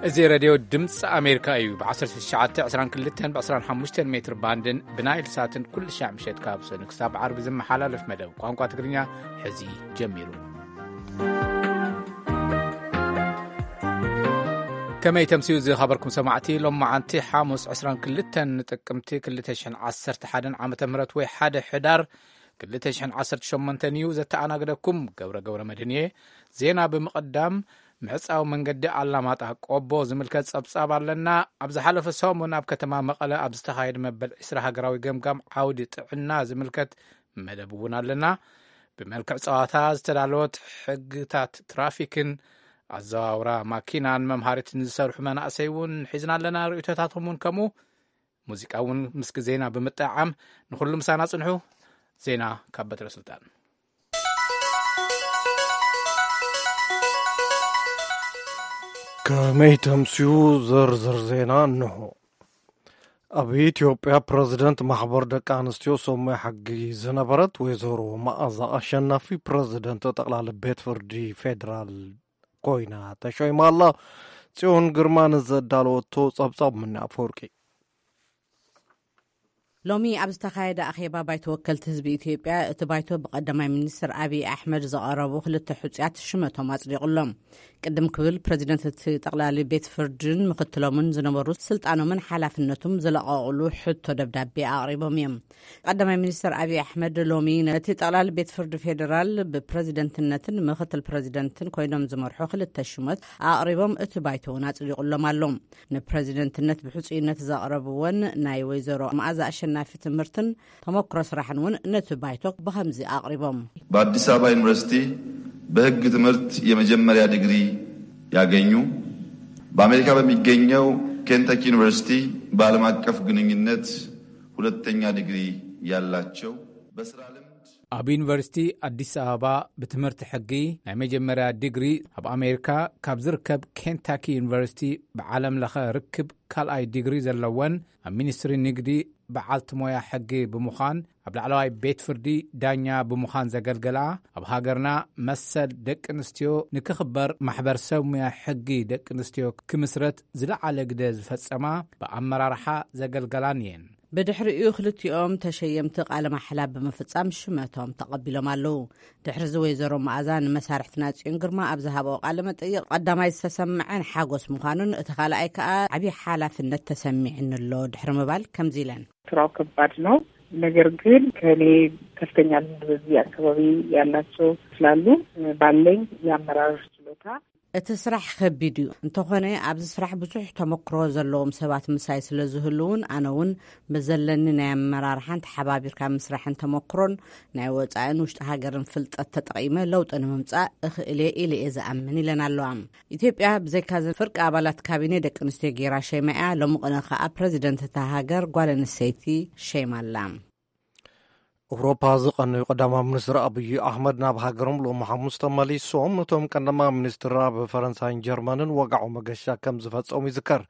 እዚ ሬድዮ ድምፂ ኣሜሪካ እዩ። ብ1922 ብ25 ሜትር ባንድን ብናይል ሳትን ኩሉ ሻዕ ምሸት ካብ ሰኑ ክሳብ ዓርቢ ዝመሓላለፍ መደብ ቋንቋ ትግርኛ ሕዚ ጀሚሩ። ከመይ ተምስዩ ዝኸበርኩም ሰማዕቲ? ሎም መዓንቲ ሓሙስ 22 ጥቅምቲ 2011 ዓመተ ምህረት ወይ ሓደ ሕዳር 2018 እዩ። ዘተኣናግደኩም ገብረ ገብረ መድህን እየ። ዜና ብምቕዳም፣ ምዕጻው መንገዲ ኣላማጣ ቆቦ ዝምልከት ጸብጻብ ኣለና። ኣብ ዝሓለፈ ሰሙን ኣብ ከተማ መቐለ ኣብ ዝተኻየደ መበል 20 ሃገራዊ ገምጋም ዓውዲ ጥዕና ዝምልከት መደብ እውን ኣለና። ብመልክዕ ጸዋታ ዝተዳለወት ሕግታት ትራፊክን ኣዘዋውራ ማኪናን መምሃሪትን ዝሰርሑ መናእሰይ እውን ሒዝና ኣለና። ርእይቶታቶም እውን ከምኡ። ሙዚቃ እውን ምስ ግዜና ብምጥዓም ንኹሉ ምሳና ጽንሑ። ዜና ካብ በትረ ስልጣን። ከመይ ተምስዩ? ዝርዝር ዜና እንሆ። ኣብ ኢትዮጵያ ፕረዚደንት ማሕበር ደቂ ኣንስትዮ ሰሙያ ሕጊ ዝነበረት ወይዘሮ መኣዛ ኣሸናፊ ፕረዚደንት ጠቕላሊ ቤት ፍርዲ ፌዴራል ኮይና ተሾይማ ኣላ። ጽዮን ግርማ ንዘዳለወቶ ጸብጻብ ምነ ኣፈወርቂ። ሎሚ ኣብ ዝተኻየደ ኣኼባ ባይቶ ወከልቲ ህዝቢ ኢትዮጵያ፣ እቲ ባይቶ ብቀዳማይ ሚኒስትር ኣብይ ኣሕመድ ዝቐረቡ ክልተ ሕጹያት ሽመቶም ኣጽዲቑሎም። ቅድም ክብል ፕረዚደንት እቲ ጠቕላሊ ቤት ፍርድን ምክትሎምን ዝነበሩ ስልጣኖምን ሓላፍነቱም ዝለቐቑሉ ሕቶ ደብዳቤ ኣቕሪቦም እዮም። ቀዳማይ ሚኒስትር ኣብይ ኣሕመድ ሎሚ ነቲ ጠቕላሊ ቤት ፍርዲ ፌዴራል ብፕረዚደንትነትን ምክትል ፕረዚደንትን ኮይኖም ዝመርሑ ክልተ ሽመት ኣቕሪቦም፣ እቲ ባይቶ እውን ኣጽዲቑሎም ኣሎ። ንፕረዚደንትነት ብሕጹይነት ዘቕረብወን ናይ ወይዘሮ መኣዛ ኣሸናፊ ትምህርትን ተመክሮ ስራሕን እውን ነቲ ባይቶ ብኸምዚ ኣቕሪቦም። በአዲስ አበባ ዩኒቨርሲቲ በሕግ ትምህርት የመጀመሪያ ዲግሪ ያገኙ፣ በአሜሪካ በሚገኘው ኬንታኪ ዩኒቨርሲቲ በዓለም አቀፍ ግንኙነት ሁለተኛ ዲግሪ ያላቸው፣ በስራ ልምድ ኣብ ዩኒቨርሲቲ ኣዲስ ኣበባ ብትምህርቲ ሕጊ ናይ መጀመርያ ዲግሪ፣ ኣብ ኣሜሪካ ካብ ዝርከብ ኬንታኪ ዩኒቨርሲቲ ብዓለም ለኸ ርክብ ካልኣይ ዲግሪ ዘለወን፣ ኣብ ሚኒስትሪ ንግዲ በዓልቲ ሞያ ሕጊ ብምዃን፣ ኣብ ላዕለዋይ ቤት ፍርዲ ዳኛ ብምዃን ዘገልገላ፣ ኣብ ሃገርና መሰል ደቂ ኣንስትዮ ንክኽበር ማሕበር ሰብ ሞያ ሕጊ ደቂ ኣንስትዮ ክምስረት ዝለዓለ ግደ ዝፈጸማ፣ ብኣመራርሓ ዘገልገላን እየን። ብድሕሪኡ ክልቲኦም ተሸየምቲ ቃለ ማሕላ ብምፍጻም ሽመቶም ተቐቢሎም ኣለዉ። ድሕሪዚ ወይዘሮ መኣዛ ንመሳርሕትና ጽዮን ግርማ ኣብ ዝሃበኦ ቃለ መጠይቕ፣ ቀዳማይ ዝተሰምዐን ሓጎስ ምዃኑን፣ እቲ ካልኣይ ከኣ ዓብዪ ሓላፍነት ተሰሚዕኒ ኣሎ ድሕሪ ምባል ከምዚ ኢለን። ስራው ከባድ ነው። ነገር ግን ከኔ ከፍተኛ ልምድ በዚህ አካባቢ ያላቸው ስላሉ ባለኝ የአመራር ችሎታ። እቲ ስራሕ ከቢድ እዩ። እንተኾነ ኣብዚ ስራሕ ብዙሕ ተመክሮ ዘለዎም ሰባት ምሳይ ስለ ዝህልውን፣ ኣነ እውን ብዘለኒ ናይ ኣመራርሓን ተሓባቢርካ ምስራሕን ተመክሮን ናይ ወጻእን ውሽጢ ሃገርን ፍልጠት ተጠቒመ ለውጢ ንምምጻእ እኽእል እየ ኢለ እየ ዝኣምን ኢለን ኣለዋ። ኢትዮጵያ ብዘይካ እዚ ፍርቂ ኣባላት ካቢኔ ደቂ ኣንስትዮ ገይራ ሸይማ እያ። ሎሚ ቅነ ከኣ ፕረዚደንት እታ ሃገር ጓል ኣንስተይቲ ሸይማ ኣላ። ኤውሮፓ ዝቐነዩ ቀዳማይ ሚኒስትር ኣብይ ኣሕመድ ናብ ሃገሮም ሎሚ ሓሙስ ተመሊሶም። እቶም ቀዳማይ ሚኒስትር ኣብ ፈረንሳይን ጀርመንን ወግዓዊ መገሻ ከም ዝፈጸሙ ይዝከር።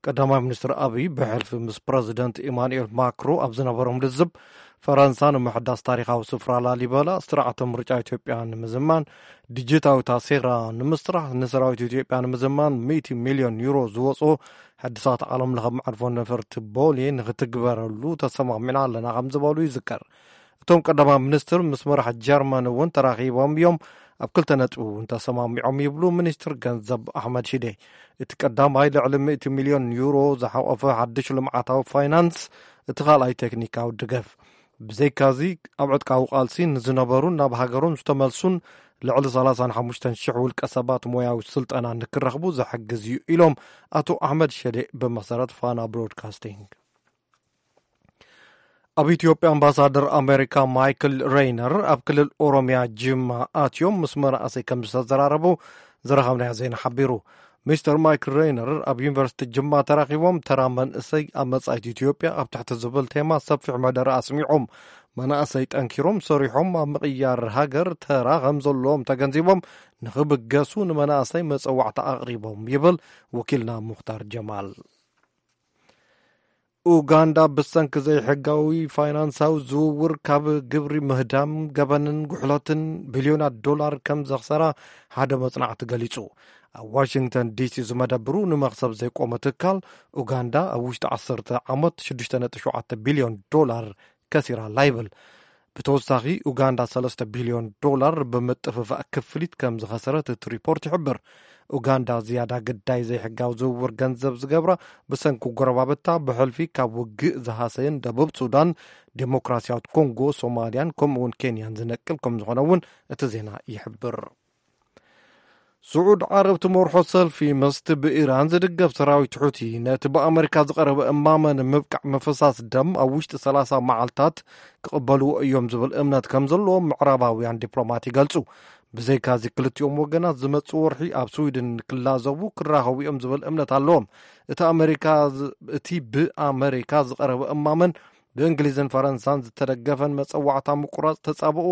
ቀዳማይ ሚኒስትር ኣብይ ብሕልፊ ምስ ፕረዚደንት ኢማኑኤል ማክሮ ኣብ ዝነበሮም ልዝብ፣ ፈረንሳ ንምሕዳስ ታሪኻዊ ስፍራ ላሊበላ፣ ስርዓተ ምርጫ ኢትዮጵያ ንምዝማን፣ ዲጂታዊ ታሴራ ንምስራሕ፣ ንሰራዊት ኢትዮጵያ ንምዝማን ሚእቲ ሚልዮን ዩሮ ዝወጾ ሕድሳት ዓለም ለኸ መዕርፎ ነፈርቲ ቦሌ ንክትግበረሉ ተሰማሚዕና ኣለና ከም ዝበሉ ይዝከር። እቶም ቀዳማይ ሚኒስትር ምስ መራሒ ጀርመን እውን ተራኺቦም እዮም። ኣብ ክልተ ነጥቢ እውን ተሰማሚዖም ይብሉ ሚኒስትር ገንዘብ ኣሕመድ ሽዴ። እቲ ቀዳማይ ልዕሊ ሚእቲ ሚልዮን ዩሮ ዝሓቆፈ ሓድሽ ልምዓታዊ ፋይናንስ፣ እቲ ካልኣይ ቴክኒካዊ ድገፍ። ብዘይካዚ ኣብ ዕጥቃዊ ቃልሲ ንዝነበሩን ናብ ሃገሮም ዝተመልሱን ልዕሊ 35,000 ውልቀ ሰባት ሞያዊ ስልጠና ንክረኽቡ ዝሕግዝ እዩ ኢሎም ኣቶ ኣሕመድ ሸዴ ብመሰረት ፋና ብሮድካስቲንግ። ኣብ ኢትዮጵያ ኣምባሳደር ኣሜሪካ ማይክል ሬይነር ኣብ ክልል ኦሮሚያ ጅማ ኣትዮም ምስ መናእሰይ ከም ዝተዘራረቡ ዝረኸብናዮ ዜና ሓቢሩ። ሚስተር ማይክል ሬይነር ኣብ ዩኒቨርሲቲ ጅማ ተራኺቦም ተራ መንእሰይ ኣብ መጻኢት ኢትዮጵያ ኣብ ትሕቲ ዝብል ቴማ ሰፊሕ መደረ ኣስሚዖም። መናእሰይ ጠንኪሮም ሰሪሖም ኣብ ምቕያር ሃገር ተራ ከም ዘለዎም ተገንዚቦም ንኽብገሱ ንመናእሰይ መጸዋዕታ ኣቕሪቦም ይብል ወኪልና ሙኽታር ጀማል። ኡጋንዳ ብሰንኪ ዘይሕጋዊ ፋይናንሳዊ ዝውውር ካብ ግብሪ ምህዳም፣ ገበንን ጉሕለትን ቢልዮናት ዶላር ከም ዘኽሰራ ሓደ መጽናዕቲ ገሊጹ። ኣብ ዋሽንግተን ዲሲ ዝመደብሩ ንመኽሰብ ዘይቆመ ትካል፣ ኡጋንዳ ኣብ ውሽጢ ዓሰርተ ዓመት ሽዱሽተ ነጥቢ ሸውዓተ ቢልዮን ዶላር ከሲራ ኣላ ይብል። ብተወሳኺ፣ ኡጋንዳ ሰለስተ ቢልዮን ዶላር ብምጥፍፋእ ክፍሊት ከም ዝኸሰረት እቲ ሪፖርት ይሕብር። ኡጋንዳ ዝያዳ ግዳይ ዘይሕጋዊ ዝውውር ገንዘብ ዝገብራ ብሰንኪ ጎረባብታ ብሕልፊ ካብ ውግእ ዝሃሰየን ደቡብ ሱዳን፣ ዴሞክራሲያዊት ኮንጎ፣ ሶማልያን ከምኡውን ኬንያን ዝነቅል ከም ዝኾነ እውን እቲ ዜና ይሕብር። ስዑድ ዓረብ ትመርሖ ሰልፊ ምስቲ ብኢራን ዝድገፍ ሰራዊት ሑቲ ነቲ ብኣመሪካ ዝቐረበ እማመ ንምብቃዕ ምፍሳስ ደም ኣብ ውሽጢ ሰላሳ መዓልታት ክቕበልዎ እዮም ዝብል እምነት ከም ዘለዎም ምዕራባውያን ዲፕሎማት ይገልጹ። ብዘይካዚ ክልቲኦም ወገናት ዝመጽእ ወርሒ ኣብ ስዊድን ክላዘቡ ክራኸቡ እዮም ዝብል እምነት ኣለዎም። እቲ ኣመሪካ ዝ-፣ እቲ ብኣመሪካ ዝቐረበ እማመን ብእንግሊዝን ፈረንሳን ዝተደገፈን መጸዋዕታ ምቁራጽ ተጻብኦ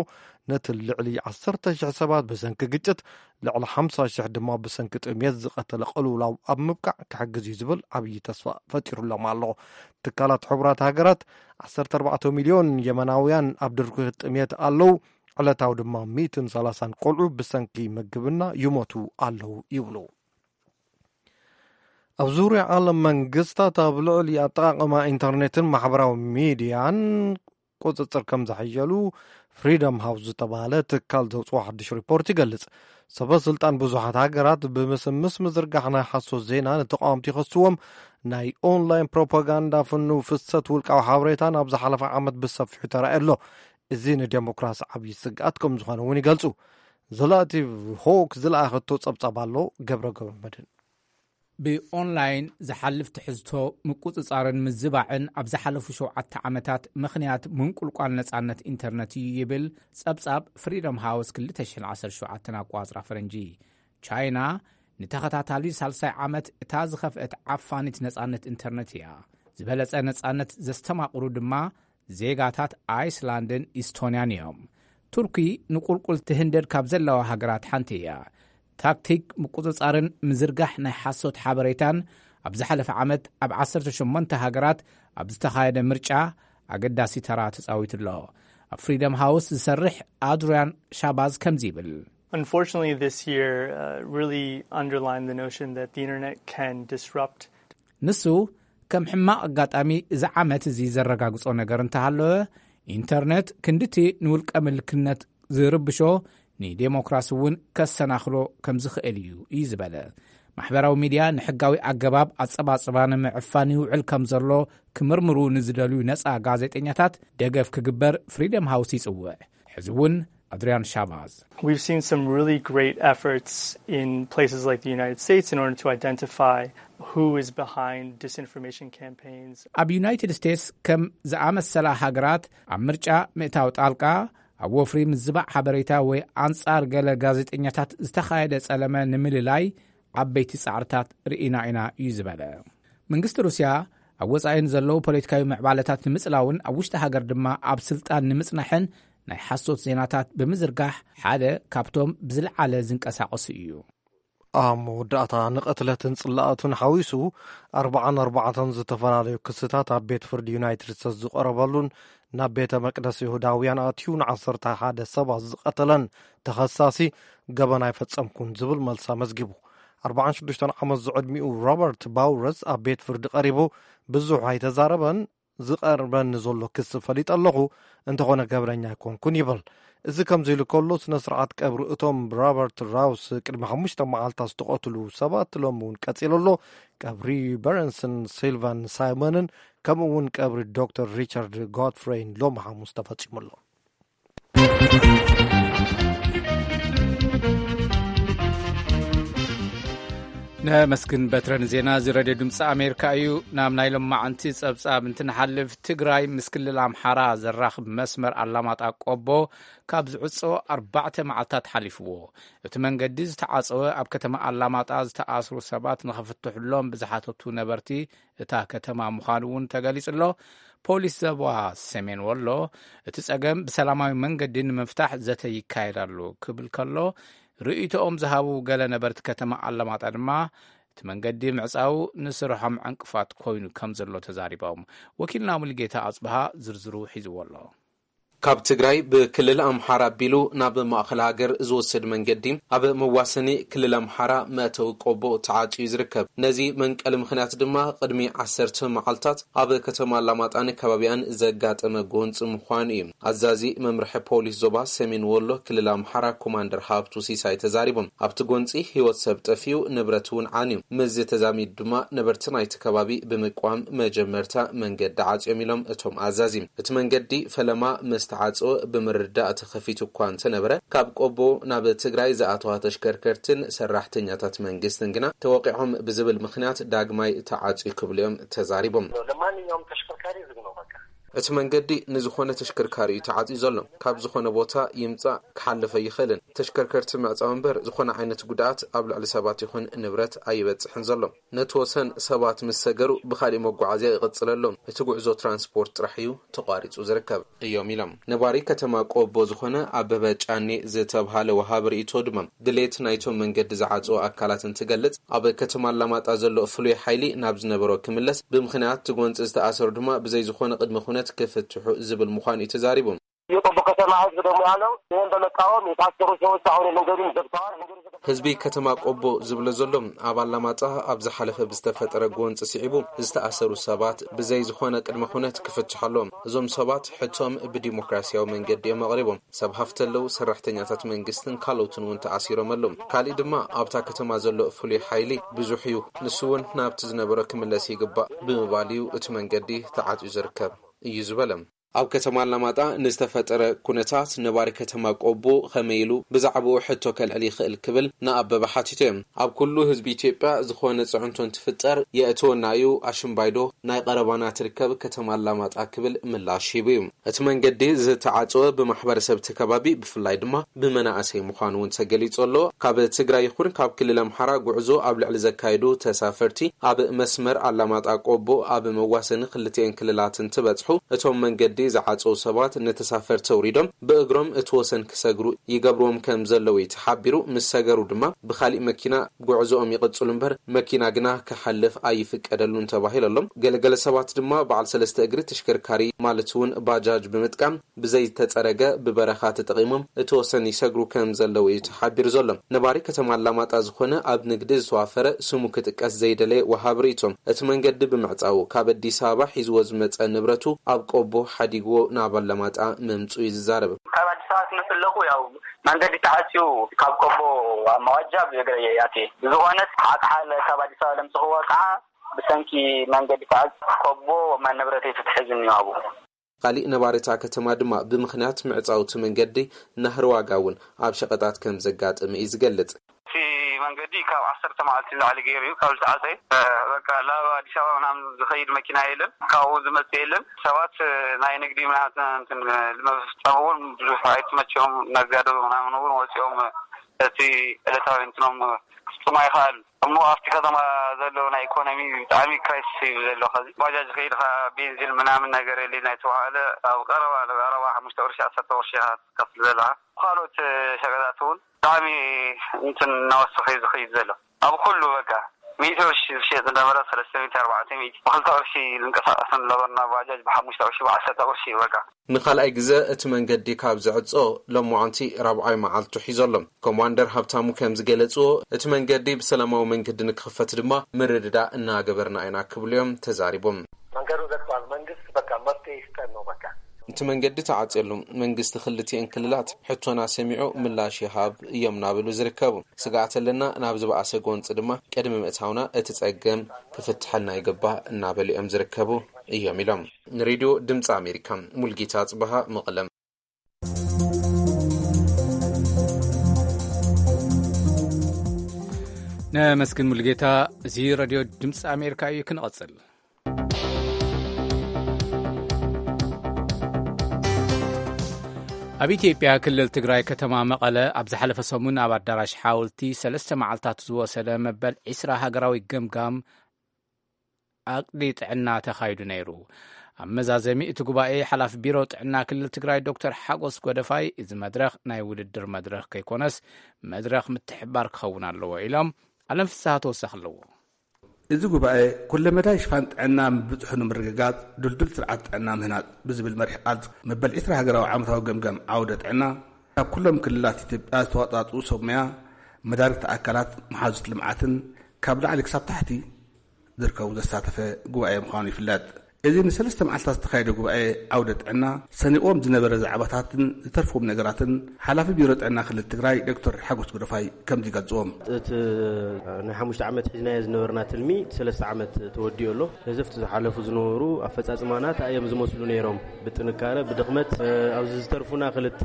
ነቲ ልዕሊ ዓሰርተ ሽሕ ሰባት ብሰንኪ ግጭት፣ ልዕሊ ሓምሳ ሽሕ ድማ ብሰንኪ ጥምየት ዝቐተለ ቅልውላው ኣብ ምብቃዕ ክሕግዝ እዩ ዝብል ዓብዪ ተስፋ ፈጢሩሎም ኣሎ። ትካላት ሕቡራት ሃገራት፣ ዓሰርተ ኣርባዕተ ሚልዮን የመናውያን ኣብ ድርቂ ጥምየት ኣለዉ፣ ዕለታዊ ድማ ሚእትን ሰላሳን ቆልዑ ብሰንኪ ምግብና ይሞቱ ኣለዉ ይብሉ። ኣብ ዙርያ ዓለም መንግስታት ኣብ ልዕሊ ኣጠቓቕማ ኢንተርኔትን ማሕበራዊ ሚድያን ቁጽጽር ከም ዘሐየሉ ፍሪደም ሃውስ ዝተባህለ ትካል ዘውፅኦ ሓድሽ ሪፖርት ይገልጽ። ሰበ ስልጣን ብዙሓት ሃገራት ብምስምስ ምዝርጋሕ ናይ ሓሶት ዜና ንተቃወምቲ ይኸስዎም። ናይ ኦንላይን ፕሮፓጋንዳ ፍኑው ፍሰት ውልቃዊ ሓበሬታ ናብ ዝሓለፈ ዓመት ብሰፊሑ ተራእየ ኣሎ። እዚ ንዴሞክራሲ ዓብዪ ስግኣት ከም ዝኾነ እውን ይገልጹ። ዘላቲቭ ሆክ ዝለኣኸቶ ጸብጻብ ኣሎ። ገብረ ገብረ መድህን። ብኦንላይን ዝሓልፍ ትሕዝቶ ምቁጽጻርን ምዝባዕን ኣብ ዝሓለፉ ሸውዓተ ዓመታት ምኽንያት ምንቁልቋል ነጻነት ኢንተርነት እዩ ይብል ጸብጻብ ፍሪደም ሃውስ ክልተ ሽሕን ዓሰርተ ሸውዓተን ኣቋጽራ ፈረንጂ። ቻይና ንተኸታታሊ ሳልሳይ ዓመት እታ ዝኸፍአት ዓፋኒት ነጻነት ኢንተርነት እያ። ዝበለጸ ነጻነት ዘስተማቕሩ ድማ ዜጋታት ኣይስላንድን ኢስቶንያን እዮም። ቱርኪ ንቁልቁል ትህንደድ ካብ ዘለዋ ሃገራት ሓንቲ እያ። ታክቲክ ምቁጽጻርን ምዝርጋሕ ናይ ሓሶት ሓበሬታን ኣብ ዝሓለፈ ዓመት ኣብ ዓሰርተ ሸሞንተ ሃገራት ኣብ ዝተኻየደ ምርጫ ኣገዳሲ ተራ ተጻዊቱ ኣሎ። ኣብ ፍሪደም ሃውስ ዝሰርሕ ኣድሪያን ሻባዝ ከምዚ ይብል። Unfortunately, this year, uh, really underlined the notion that the internet can disrupt ንሱ ከም ሕማቕ ኣጋጣሚ እዚ ዓመት እዚ ዘረጋግጾ ነገር እንተሃለወ፣ ኢንተርነት ክንድቲ ንውልቀ ምልክነት ዝርብሾ ንዴሞክራሲ እውን ከሰናኽሎ ከም ዝኽእል እዩ እዩ ዝበለ። ማሕበራዊ ሚድያ ንሕጋዊ ኣገባብ ኣጸባጽባ ንምዕፋን ይውዕል ከም ዘሎ ክምርምሩ ንዝደልዩ ነጻ ጋዜጠኛታት ደገፍ ክግበር ፍሪደም ሃውስ ይጽውዕ። ሕዚ እውን ኣድሪያን ሻባዝ። We've seen some really great efforts in places like the United States in order to identify who is behind disinformation campaigns. ኣብ ዩናይትድ ስቴትስ ከም ዝኣመሰላ ሃገራት ኣብ ምርጫ ምእታው ጣልቃ፣ ኣብ ወፍሪ ምዝባዕ ሓበሬታ ወይ ኣንጻር ገለ ጋዜጠኛታት ዝተኻየደ ጸለመ ንምልላይ ዓበይቲ ጻዕርታት ርኢና ኢና እዩ ዝበለ። መንግስቲ ሩስያ ኣብ ወጻኢ ንዘለዉ ፖለቲካዊ ምዕባለታት ንምጽላውን ኣብ ውሽጢ ሃገር ድማ ኣብ ስልጣን ንምጽናሕን ናይ ሓሶት ዜናታት ብምዝርጋሕ ሓደ ካብቶም ብዝለዓለ ዝንቀሳቐሱ እዩ። ኣብ መወዳእታ ንቕትለትን ጽላኣቱን ሓዊሱ ኣርባዓን ኣርባዕተን ዝተፈላለዩ ክስታት ኣብ ቤት ፍርዲ ዩናይትድ ስቴትስ ዝቐረበሉን ናብ ቤተ መቅደስ ይሁዳውያን ኣትዩ ንዓሰርተ ሓደ ሰባት ዝቐተለን ተኸሳሲ ገበን ኣይፈጸምኩን ዝብል መልሲ ኣመዝጊቡ። ኣርባዓን ሽዱሽተን ዓመት ዝዕድሚኡ ሮበርት ባውረስ ኣብ ቤት ፍርዲ ቀሪቡ ብዙሕ ኣይተዛረበን። ዝቐርበኒ ዘሎ ክሲ ፈሊጠ ኣለኹ፣ እንተኾነ ገበነኛ ኣይኮንኩን ይብል። እዚ ከምዚ ኢሉ ከሎ፣ ስነ ስርዓት ቀብሪ እቶም ሮበርት ራውስ ቅድሚ ሓሙሽተ መዓልታት ዝተቐትሉ ሰባት ሎሚ እውን ቀጺሉ ኣሎ። ቀብሪ በረንስን ሲልቫን ሳይመንን ከምኡ እውን ቀብሪ ዶክተር ሪቻርድ ጎድፍሬይን ሎሚ ሓሙስ ተፈጺሙ ኣሎ። ነመስግን በትረ ንዜና እዚ ሬድዮ ድምፂ ኣሜሪካ እዩ። ናብ ናይ ሎማዓንቲ ጸብጻብ እንትንሓልፍ፣ ትግራይ ምስ ክልል ኣምሓራ ዘራኽብ መስመር ኣላማጣ ቆቦ ካብ ዝዕጾ ኣርባዕተ መዓልታት ሓሊፍዎ። እቲ መንገዲ ዝተዓጸወ ኣብ ከተማ ኣላማጣ ዝተኣስሩ ሰባት ንኽፍትሕሎም ብዝሓተቱ ነበርቲ እታ ከተማ ምዃኑ እውን ተገሊጹ ኣሎ። ፖሊስ ዞባ ሰሜን ወሎ እቲ ጸገም ብሰላማዊ መንገዲ ንምፍታሕ ዘተ ይካየድ ኣሎ ክብል ከሎ፣ ርእይቶኦም ዝሃቡ ገለ ነበርቲ ከተማ ኣላማጣ ድማ እቲ እቲ መንገዲ ምዕጻው ንስርሖም ዕንቅፋት ኮይኑ ከም ዘሎ ተዛሪቦም። ወኪልና ሙልጌታ ኣጽብሃ ዝርዝሩ ሒዝዎ ኣሎ። ካብ ትግራይ ብክልል ኣምሓራ ኣቢሉ ናብ ማእኸል ሃገር ዝወስድ መንገዲ ኣብ መዋሰኒ ክልል ኣምሓራ መእተዊ ቆቦ ተዓጽዩ ዝርከብ። ነዚ መንቀሊ ምኽንያት ድማ ቅድሚ ዓሰርተ መዓልታት ኣብ ከተማ ኣላማጣን ከባቢኣን ዘጋጠመ ጎንፂ ምዃኑ እዩ ኣዛዚ መምርሒ ፖሊስ ዞባ ሰሜን ወሎ ክልል ኣምሓራ ኮማንደር ሃብቱ ሲሳይ ተዛሪቦም። ኣብቲ ጎንፂ ህይወት ሰብ ጠፊኡ፣ ንብረት እውን ዓንዩ። ምስዚ ተዛሚዱ ድማ ነበርቲ ናይቲ ከባቢ ብምቅዋም መጀመርታ መንገዲ ዓፅዮም ኢሎም እቶም ኣዛዚ። እቲ መንገዲ ፈለማ ምስ ተዓፀወ ብምርዳእ ተኸፊቱ እኳ እንተነበረ፣ ካብ ቆቦ ናብ ትግራይ ዝኣተዋ ተሽከርከርትን ሰራሕተኛታት መንግስትን ግና ተወቂዖም ብዝብል ምኽንያት ዳግማይ ተዓፅዩ ክብሉ እዮም ተዛሪቦም። ለማንኛውም ተሽከርካሪ ዝግ ነው በቃ። እቲ መንገዲ ንዝኾነ ተሽከርካሪ እዩ ተዓፅዩ ዘሎ። ካብ ዝኾነ ቦታ ይምፃእ ክሓልፍ ኣይኽእልን። ተሽከርከርቲ ምዕፃው እምበር ዝኾነ ዓይነት ጉድኣት ኣብ ልዕሊ ሰባት ይኹን ንብረት ኣይበፅሕን ዘሎ። ነቲ ወሰን ሰባት ምስ ሰገሩ ብኻሊእ መጓዓዝያ ይቕፅል ኣሎ። እቲ ጉዕዞ ትራንስፖርት ጥራሕ እዩ ተቋሪፁ ዝርከብ እዮም ኢሎም። ነባሪ ከተማ ቆቦ ዝኾነ ኣበበ ጫኔ ዝተብሃለ ወሃቢ ርእይቶ ድማ ድሌት ናይቶም መንገዲ ዝዓፅዎ ኣካላት እንትገልፅ፣ ኣብ ከተማ ኣላማጣ ዘሎ ፍሉይ ሓይሊ ናብ ዝነበሮ ክምለስ፣ ብምኽንያት እቲ ጎንፂ ዝተኣሰሩ ድማ ብዘይ ዝኾነ ቅድመ ኩነት ክፍትሑ ዝብል ምዃኑ እዩ ተዛሪቡ። የቆቦ ከተማ ህዝብ ደግሞ ያለው ይህን በመቃወም የታሰሩ ሰዎች አሁን መንገዱን ዘግተዋል። መንገዱ ተከፍቶ ህዝቢ ከተማ ቆቦ ዝብሎ ዘሎ፣ ኣብ ኣላማጣ ኣብ ዝሓለፈ ብዝተፈጠረ ጎንፂ ስዒቡ ዝተኣሰሩ ሰባት ብዘይ ዝኾነ ቅድመ ኩነት ክፍትሑ ኣለዎም። እዞም ሰባት ሕቶም ብዲሞክራሲያዊ መንገዲ እዮም ኣቕሪቦም። ሰብ ሃፍቲ ኣለዉ፣ ሰራሕተኛታት መንግስትን ካልኦትን እውን ተኣሲሮም ኣለዉ። ካሊእ ድማ ኣብታ ከተማ ዘሎ ፍሉይ ሓይሊ ብዙሕ እዩ፣ ንሱ እውን ናብቲ ዝነበሮ ክምለስ ይግባእ ብምባል እዩ እቲ መንገዲ ተዓፅዩ ዝርከብ እዩ ዝበለ። ኣብ ከተማ ኣላማጣ ንዝተፈጠረ ኩነታት ነባሪ ከተማ ቆቦ ከመይ ኢሉ ብዛዕባኡ ሕቶ ከልዕል ይኽእል ክብል ንኣበበ ሓቲቶ እዮም። ኣብ ኩሉ ህዝቢ ኢትዮጵያ ዝኾነ ፅዕንቶ እንትፍጠር የእትወና እዩ፣ ኣሽምባይዶ ናይ ቀረባና ትርከብ ከተማ ኣላማጣ ክብል ምላሽ ሂቡ እዩ። እቲ መንገዲ ዝተዓፀወ ብማሕበረሰብ እቲ ከባቢ ብፍላይ ድማ ብመናእሰይ ምዃኑ እውን ተገሊፁ ኣሎ። ካብ ትግራይ ይኹን ካብ ክልል ኣምሓራ ጉዕዞ ኣብ ልዕሊ ዘካየዱ ተሳፈርቲ ኣብ መስመር ኣላማጣ ቆቦ ኣብ መዋሰኒ ክልቲኤን ክልላት እንትበፅሑ እቶም መንገዲ ዝዓፀው ሰባት ንተሳፈርቲ ኣውሪዶም ብእግሮም እቲ ወሰን ክሰግሩ ይገብርዎም ከም ዘለዉ እዩ ተሓቢሩ። ምስ ሰገሩ ድማ ብኻሊእ መኪና ጉዕዞኦም ይቕፅሉ እምበር መኪና ግና ክሓልፍ ኣይፍቀደሉን ተባሂሉ ኣሎ። ገለገለ ሰባት ድማ በዓል ሰለስተ እግሪ ተሽከርካሪ ማለት እውን ባጃጅ ብምጥቃም ብዘይተፀረገ ብበረኻ ተጠቒሞም እቲ ወሰን ይሰግሩ ከም ዘለዉ እዩ ተሓቢሩ ዘሎ። ነባሪ ከተማ ኣላማጣ ዝኾነ ኣብ ንግዲ ዝተዋፈረ ስሙ ክጥቀስ ዘይደለየ ወሃብ ርእይቶ እቲ መንገዲ ብምዕፃዉ ካብ ኣዲስ ኣበባ ሒዝዎ ዝመፀ ንብረቱ ኣብ ቆቦ ሓዲግዎ ናብ ኣላማጣ ምምፁ እዩ ዝዛረብ። ካብ ኣዲስ ኣበባ ትመፅእ ኣለኹ ያው መንገዲ ተዓፅዩ ካብ ቆቦ ኣብ መዋጃ ብእግረ እየ ኣትየ። ብዝኾነስ ዓቕሓለ ካብ ኣዲስ ኣበባ ለምፅኽዎ ከዓ ብሰንኪ መንገዲ ተዓፅዩ ቆቦ መን ንብረተይ ፍትሒ ዝኒዋቡ። ካሊእ ነባሪ እታ ከተማ ድማ ብምኽንያት ምዕጻው እቲ መንገዲ ናህሪ ዋጋ እውን ኣብ ሸቐጣት ከም ዘጋጥም እዩ ዝገልጽ። እቲ መንገዲ ካብ ዓሰርተ መዓልቲ ንላዕሊ ገይሩ እዩ ካብ ዝተዓጸየ። በቃ ናብ ኣዲስ ኣበባ ምናምን ዝኸይድ መኪና የለን፣ ካብኡ ዝመጽእ የለን። ሰባት ናይ ንግዲ ምናምን እንትን ንምፍጻም እውን ብዙሕ ኣይተመቸዎም። ነጋዶ ምናምን እውን ወጺኦም እቲ ዕለታዊ እንትኖም ክፍጽሙ ኣይኸኣሉን። እሞ ኣብቲ ከተማ ዘሎ ናይ ኢኮኖሚ ብጣዕሚ ክራይሲስ እዩ ዘሎ። ከዚ ባጃጅ ከይድካ ቤንዚን ምናምን ነገር የለ ናይ ተባሃለ ኣብ ቀረባ ቀረባ ሓሙሽተ ቅርሺ ዓሰርተ ቅርሺ ኢኻ ትከፍል ዘለኻ። ካልኦት ሸቀጣት እውን ብጣዕሚ እንትን እናወሰኸ እዩ ዝኸይድ ዘሎ። ኣብ ኩሉ በቃ ሚእቲ ቅርሺ ዝሸጥ ዝነበረ ሰለስተ ሚእቲ ኣርባዕተ ሚእቲ ብክልተ ቅርሺ ዝንቀሳቀስ ዝነበርና ባጃጅ ብሓሙሽተ ቅርሺ ብዓሰርተ ቅርሺ እዩ በቃ። ንኻልኣይ ግዘ እቲ መንገዲ ካብ ዝዕጾ ሎማዓንቲ ራብዓይ መዓልቱ ሒዞ ኣሎ። ኮማንደር ሃብታሙ ከም ዝገለጽዎ፣ እቲ መንገዲ ብሰላማዊ መንገዲ ንክኽፈት ድማ ምርድዳእ እናገበርና ኢና ክብሉ እዮም ተዛሪቦም። መንገዱ ዘግቷል። መንግስት በቃ መፍትሄ ይስጠን ነው በቃ። እቲ መንገዲ ተዓጽዮ ኣሎ። መንግስቲ ክልቲኤን ክልላት ሕቶና ሰሚዑ ምላሽ ይሃብ እዮም እናበሉ ዝርከቡ። ስግኣት ኣለና፣ ናብ ዝበኣሰ ጎንፂ ድማ ቅድሚ ምእታውና እቲ ጸገም ክፍትሐልና ይግባእ እናበሉ እዮም ዝርከቡ እዮም ኢሎም። ንሬድዮ ድምፂ ኣሜሪካ ሙልጌታ ጽበሃ መቐለም። ነመስግን ሙልጌታ። እዚ ሬድዮ ድምፂ ኣሜሪካ እዩ። ክንቐጽል። ኣብ ኢትዮጵያ ክልል ትግራይ ከተማ መቐለ ኣብ ዝሓለፈ ሰሙን ኣብ ኣዳራሽ ሓወልቲ ሰለስተ መዓልታት ዝወሰደ መበል ዒስራ ሃገራዊ ገምጋም ዓቕዲ ጥዕና ተኻይዱ ነይሩ። ኣብ መዛዘሚ እቲ ጉባኤ ሓላፊ ቢሮ ጥዕና ክልል ትግራይ ዶክተር ሓጎስ ጎደፋይ፣ እዚ መድረኽ ናይ ውድድር መድረኽ ከይኮነስ መድረኽ ምትሕብባር ክኸውን ኣለዎ ኢሎም። ኣለም ፍስሃ ተወሳኺ ኣለዎ። እዚ ጉባኤ ኩለመዳይ ሽፋን ጥዕና ምብጽሑ ንምርግጋጽ ድልዱል ስርዓት ጥዕና ምህናጽ ብዝብል መሪሕ ቃል መበል ዕስራ ሃገራዊ ዓመታዊ ገምጋም ዓውደ ጥዕና ካብ ኩሎም ክልላት ኢትዮጵያ ዝተዋጻጽኡ ሰብ ሞያ፣ መዳርግቲ ኣካላት፣ መሓዙት ልምዓትን ካብ ላዕሊ ክሳብ ታሕቲ ዝርከቡ ዘሳተፈ ጉባኤ ምዃኑ ይፍለጥ። እዚ ንሰለስተ መዓልታት ዝተኻየደ ጉባኤ ዓውደ ጥዕና ሰኒቕዎም ዝነበረ ዛዕባታትን ዝተርፍዎም ነገራትን ሓላፊ ቢሮ ጥዕና ክልል ትግራይ ዶክተር ሓጎስ ጎደፋይ ከምዚ ይገልጽዎም። እቲ ናይ ሓሙሽተ ዓመት ሒዝናዮ ዝነበርና ትልሚ ሰለስተ ዓመት ተወዲኡ ኣሎ። ነዘፍቲ ዝሓለፉ ዝነበሩ ኣፈጻጽማና እንታይ እዮም ዝመስሉ ነይሮም? ብጥንካረ፣ ብድኽመት፣ ኣብዚ ዝተርፉና ክልተ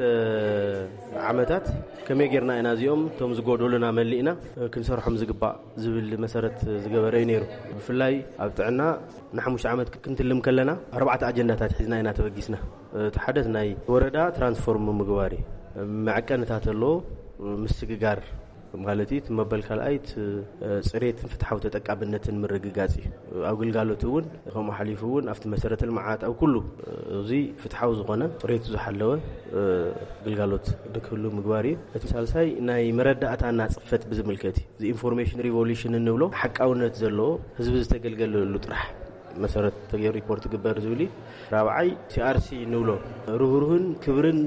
ዓመታት ከመይ ጌርና ኢና እዚኦም እቶም ዝጎደሉና መሊእና ክንሰርሖም ዝግባእ ዝብል መሰረት ዝገበረ እዩ ነይሩ። ብፍላይ ኣብ ጥዕና ንሓሙሽተ ዓመት ክንትልም ከለና ኣርባዕተ ኣጀንዳታት ሒዝና ኢና ተበጊስና። እቲ ሓደ ናይ ወረዳ ትራንስፎርም ምግባር እዩ። መዐቀንታት ኣሎ፣ ምስግጋር ማለት እዩ። እቲ መበል ካልኣይ እቲ ጽሬትን ፍትሓዊ ተጠቃምነትን ምርግጋጽ እዩ። ኣብ ግልጋሎት እውን ከምኡ ሓሊፉ እውን ኣብቲ መሰረተ ልምዓት ኣብ ኩሉ እዚ ፍትሓዊ ዝኾነ ጽሬቱ ዝሓለወ ግልጋሎት ንክህሉ ምግባር እዩ። እቲ ሳልሳይ ናይ መረዳእታና ጽፈት ብዝምልከት እዩ። እዚ ኢንፎርሜሽን ሪቮሉሽን እንብሎ ሓቃውነት ዘለዎ ህዝቢ ዝተገልገለሉ ጥራሕ መሰረት ተገይሩ ሪፖርት ግበር ዝብል እዩ። ራብዓይ ሲ ኣር ሲ እንብሎ ርህሩህን ክብርን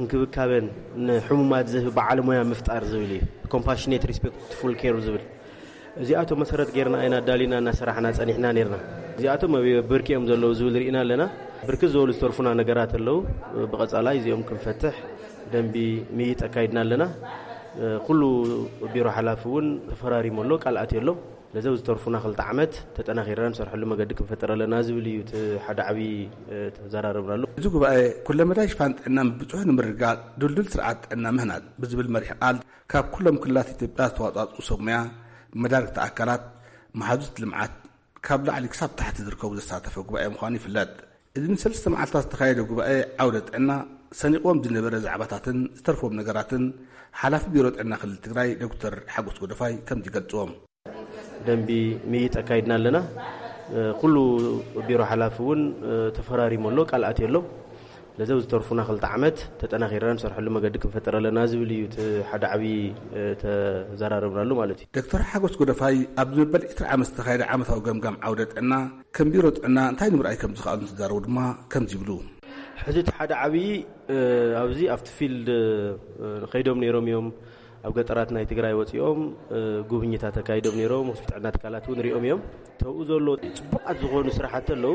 እንክብካበን ንሕሙማት ዝህብ በዓል ሞያ ምፍጣር ዝብል እዩ። ኮምፓሽኔት ሪስፔክትፉል ኬር ዝብል እዚኣቶም መሰረት ጌርና ኢና ኣዳሊና እናሰራሕና ጸኒሕና ኔርና። እዚኣቶም ኣብ ብርኪ እዮም ዘለዉ ዝብል ርኢና ኣለና። ብርክት ዝበሉ ዝተርፉና ነገራት ኣለዉ። ብቐጻላይ እዚኦም ክንፈትሕ ደንቢ ምይይጥ ኣካይድና ኣለና። ኩሉ ቢሮ ሓላፊ እውን ተፈራሪሙ ኣሎ፣ ቃል ኣትዩ ኣሎ። ለዘው ዝተርፉና ክልተ ዓመት ተጠናኺርና ንሰርሐሉ መገዲ ክንፈጥር ኣለና ዝብል እዩ እቲ ሓደ ዓብዪ ተዘራረብናሉ። እዚ ጉባኤ ኩለመዳይ ሽፋን ጥዕና ምብፅሑ ንምርግጋፅ ድልዱል ስርዓት ጥዕና ምህናፅ ብዝብል መሪሕ ቃል ካብ ኩሎም ክልላት ኢትዮጵያ ዝተዋፃፅኡ ሰብ ሙያ፣ መዳርግቲ ኣካላት፣ መሓዙት ልምዓት ካብ ላዕሊ ክሳብ ታሕቲ ዝርከቡ ዘሳተፈ ጉባኤ ምዃኑ ይፍለጥ። እዚ ንሰለስተ መዓልታት ዝተኻየደ ጉባኤ ዓውደ ጥዕና ሰኒቕዎም ዝነበረ ዛዕባታትን ዝተርፎም ነገራትን ሓላፊ ቢሮ ጥዕና ክልል ትግራይ ዶክተር ሓጎስ ጎደፋይ ከምዚ ይገልፅዎም። ደንቢ ምይይጥ ኣካይድና ኣለና። ኩሉ ቢሮ ሓላፊ እውን ተፈራሪሙ ኣሎ፣ ቃል ኣትዩ ኣሎ። ለዘው ዝተርፉና ክልተ ዓመት ተጠናኺርና ንሰርሐሉ መገዲ ክንፈጥር ኣለና ዝብል እዩ እቲ ሓደ ዓብዪ ተዘራረብናሉ ማለት እዩ። ዶክተር ሓጎስ ጎደፋይ ኣብ ዝመበል ዕስራ ዓመት ዝተኻየደ ዓመታዊ ገምጋም ዓውደ ጥዕና ከም ቢሮ ጥዕና እንታይ ንምርኣይ ከም ዝኸኣሉ እንትዛረቡ ድማ ከምዚ ይብሉ። ሕዚ እቲ ሓደ ዓብዪ ኣብዚ ኣብቲ ፊልድ ከይዶም ነይሮም እዮም። ኣብ ገጠራት ናይ ትግራይ ወፂኦም ጉብኝታት ኣካይዶም ነይሮም። ሆስፒታል ጥዕና ትካላት እውን ሪኦም እዮም። ተብኡ ዘሎ ፅቡቃት ዝኾኑ ስራሕቲ ኣለዉ።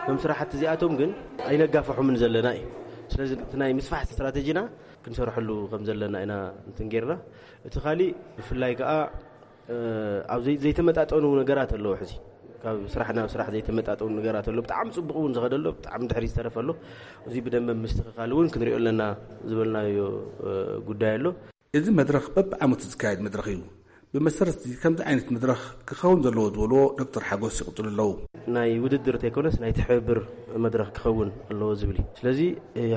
እዞም ስራሕቲ እዚኣቶም ግን ኣይነጋፍሖምን ዘለና እዩ። ስለዚ እቲ ናይ ምስፋሕ ስትራቴጂና ክንሰርሐሉ ከም ዘለና ኢና እንትን ጌርና። እቲ ካሊእ ብፍላይ ከዓ ኣብ ዘይ- ዘይተመጣጠኑ ነገራት ኣለዉ። ሕዚ ካብ ስራሕ ናብ ስራሕ ዘይተመጣጠኑ ነገራት ኣለዉ። ብጣዕሚ ፅቡቅ እውን ዝኸደ ኣሎ፣ ብጣዕሚ ድሕሪ ዝተረፈ ኣሎ። እዚ ብደንበ ምስትኽኻል እውን ክንሪኦ ኣለና ዝበልናዮ ጉዳይ ኣሎ። እዚ መድረኽ በብዓመቱ ዝካየድ መድረኽ እዩ። ብመሰረት እዚ ከምዚ ዓይነት መድረኽ ክኸውን ዘለዎ ዝበልዎ ዶክተር ሓጎስ ይቕፅሉ ኣለዉ። ናይ ውድድር ተይኮነስ ናይ ትሕብር መድረኽ ክኸውን ኣለዎ ዝብል እዩ። ስለዚ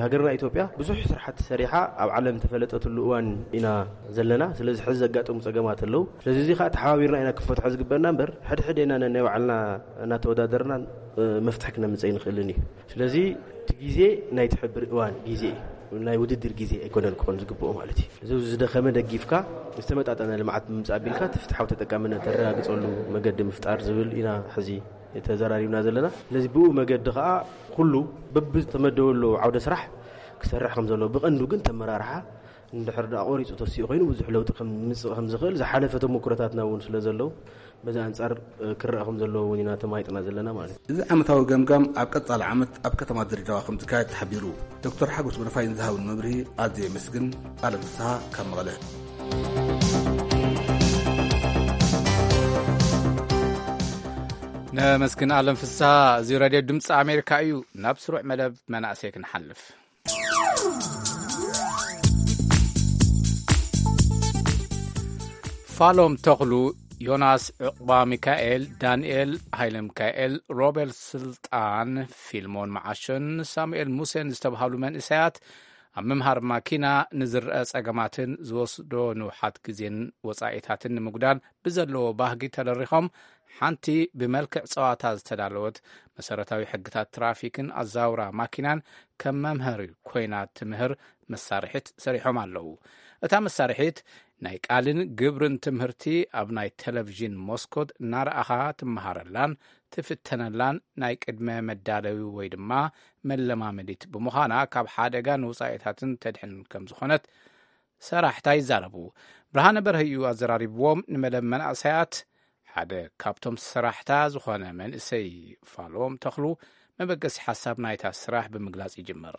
ሃገርና ኢትዮጵያ ብዙሕ ስራሕቲ ሰሪሓ ኣብ ዓለም ተፈለጠትሉ እዋን ኢና ዘለና። ስለዚ ሕዚ ዘጋጠሙ ፀገማት ኣለዉ። ስለዚ እዚ ከዓ ተሓባቢርና ኢና ክንፈትሖ ዝግበና እምበር ሕድሕድ ኢና ነናይ ባዕልና እናተወዳደርና መፍትሒ ክነምፀ ይንኽእልን እዩ። ስለዚ እቲ ግዜ ናይ ትሕብር እዋን ግዜ ናይ ውድድር ግዜ ኣይኮነን ክኾን ዝግብኦ ማለት እዩ። እዚ ዝደኸመ ደጊፍካ ዝተመጣጠነ ልምዓት ብምምፃእ ኣቢልካ እቲ ፍትሓዊ ተጠቃምነት ተረጋግፀሉ መገዲ ምፍጣር ዝብል ኢና ሕዚ ተዘራሪብና ዘለና። ስለዚ ብኡ መገዲ ከዓ ኩሉ በብዝተመደበሉ ዓውደ ስራሕ ክሰርሕ ከም ዘለዎ ብቐንዱ ግን ተመራርሓ እንድሕር ደኣ ቆሪፁ ተሲኡ ኮይኑ ብዙሕ ለውጢ ከም ምምፅእ ከም ዝኽእል ዝሓለፈ ተሞክሮታትና እውን ስለ ዘለዉ በዚ ኣንፃር ክረኣ ከም ዘለዎ እውን ኢና ተማይጥና ዘለና ማለት እዩ። እዚ ዓመታዊ ገምጋም ኣብ ቀፃሊ ዓመት ኣብ ከተማ ድሬዳዋ ከም ዝካየድ ተሓቢሩ። ዶክተር ሓጎስ ጎደፋይ ንዝሃብን መብርሂ ኣዝየ የመስግን። ኣለም ፍስሃ ካብ መቐለ። ነመስግን ኣለም ፍስሃ። እዚ ሬድዮ ድምፂ ኣሜሪካ እዩ። ናብ ስሩዕ መደብ መናእሰይ ክንሓልፍ። ፋሎም ተኽሉ፣ ዮናስ ዕቑባ ሚካኤል፣ ዳንኤል ሃይለ ሚካኤል፣ ሮቤል ስልጣን፣ ፊልሞን መዓሾን ሳሙኤል ሙሴን ዝተብሃሉ መንእሰያት ኣብ ምምሃር ማኪና ንዝረአ ጸገማትን ዝወስዶ ንውሓት ግዜን ወጻኢታትን ንምጉዳል ብዘለዎ ባህጊ ተደሪኾም ሓንቲ ብመልክዕ ጸዋታ ዝተዳለወት መሰረታዊ ሕግታት ትራፊክን ኣዛውራ ማኪናን ከም መምሃሪ ኮይና ትምህር መሳርሒት ሰሪሖም ኣለዉ። እታ መሳርሒት ናይ ቃልን ግብርን ትምህርቲ ኣብ ናይ ቴሌቪዥን መስኮት እናረኣኻ ትመሃረላን ትፍተነላን ናይ ቅድመ መዳለዊ ወይ ድማ መለማመዲት ብምዃና ካብ ሓደጋን ውጻኢታትን ተድሕን ከም ዝኾነት ሰራሕታ ይዛረቡ። ብርሃነ በርሀ እዩ ኣዘራሪብዎም። ንመደብ መናእሰያት ሓደ ካብቶም ሰራሕታ ዝኾነ መንእሰይ ፋሎም ተኽሉ መበገሲ ሓሳብ ናይታ ስራሕ ብምግላጽ ይጅምር።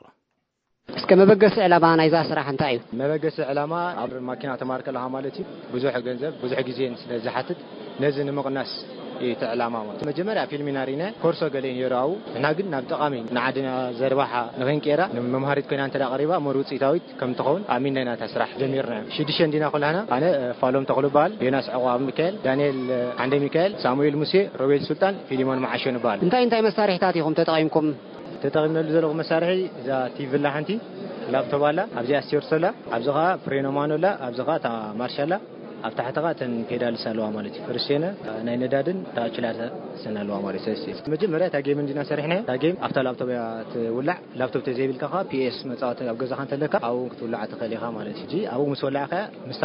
እስከ መበገሲ ዕላማ ናይዛ ስራሕ እንታይ እዩ? መበገሲ ዕላማ ኣብ ማኪና ተማር ከለኻ ማለት እዩ ብዙሕ ገንዘብ ብዙሕ ግዜን ስለ ዝሓትት ነዚ ንምቕናስ እዩ እቲ ዕላማ ማለት። መጀመርያ ፊልም ኢና ርኢና ኮርሶ ገለ እዮም የረኣው። ንሕና ግን ናብ ጠቓሚ ንዓድና ዘርባሓ ንኽንቀይራ ንመምሃሪት ኮይና እንተ ደኣ ቀሪባ እሞ ውፅኢታዊት ከም ትኸውን ኣሚንና ኢና እታ ስራሕ ጀሚርና። ሽዱሽተ እንዲና ኩላህና ኣነ ፋሎም ተኽሉ በሃል፣ ዮናስ ዕቑብ ሚካኤል፣ ዳንኤል ዓንደ ሚካኤል፣ ሳሙኤል ሙሴ፣ ሮቤል ሱልጣን፣ ፊሊሞን መዓሾ ንበሃል። እንታይ እንታይ መሳርሒታት ኢኹም ተጠቒምኩም? ተጠቒምናሉ ዘለኹ መሳርሒ እዛ ቲቪ ኣላ ሓንቲ፣ ላፕቶፕ ኣላ፣ ኣብዚኣ ስቴርስ ኣላ፣ ኣብዚ ኸዓ ፍሬኖ ማኖ ኣላ፣ ኣብዚ ኸዓ እታ ማርሽ ኣላ፣ ኣብ ታሕቲ ኸዓ እተን ፔዳልስ ኣለዋ ማለት እዩ። ፍርሴነ ናይ ነዳድን እታ ኣክስላተርን ኣለዋ ማለት እዩ። ስለዚ መጀመርያ እታ ጌም እንዲና ሰሪሕናያ። እታ ጌም ኣብታ ላፕቶፕ እያ ትውላዕ። ላፕቶፕ ተዘይብልካ ኸዓ ፒኤስ መጻወቲ ኣብ ገዛኻ እንተለካ ኣብኡ እውን ክትውላዓ ትኽእል ኢኻ ማለት እዩ። ሕጂ ኣብኡ ምስ ወላዕካያ ምስታ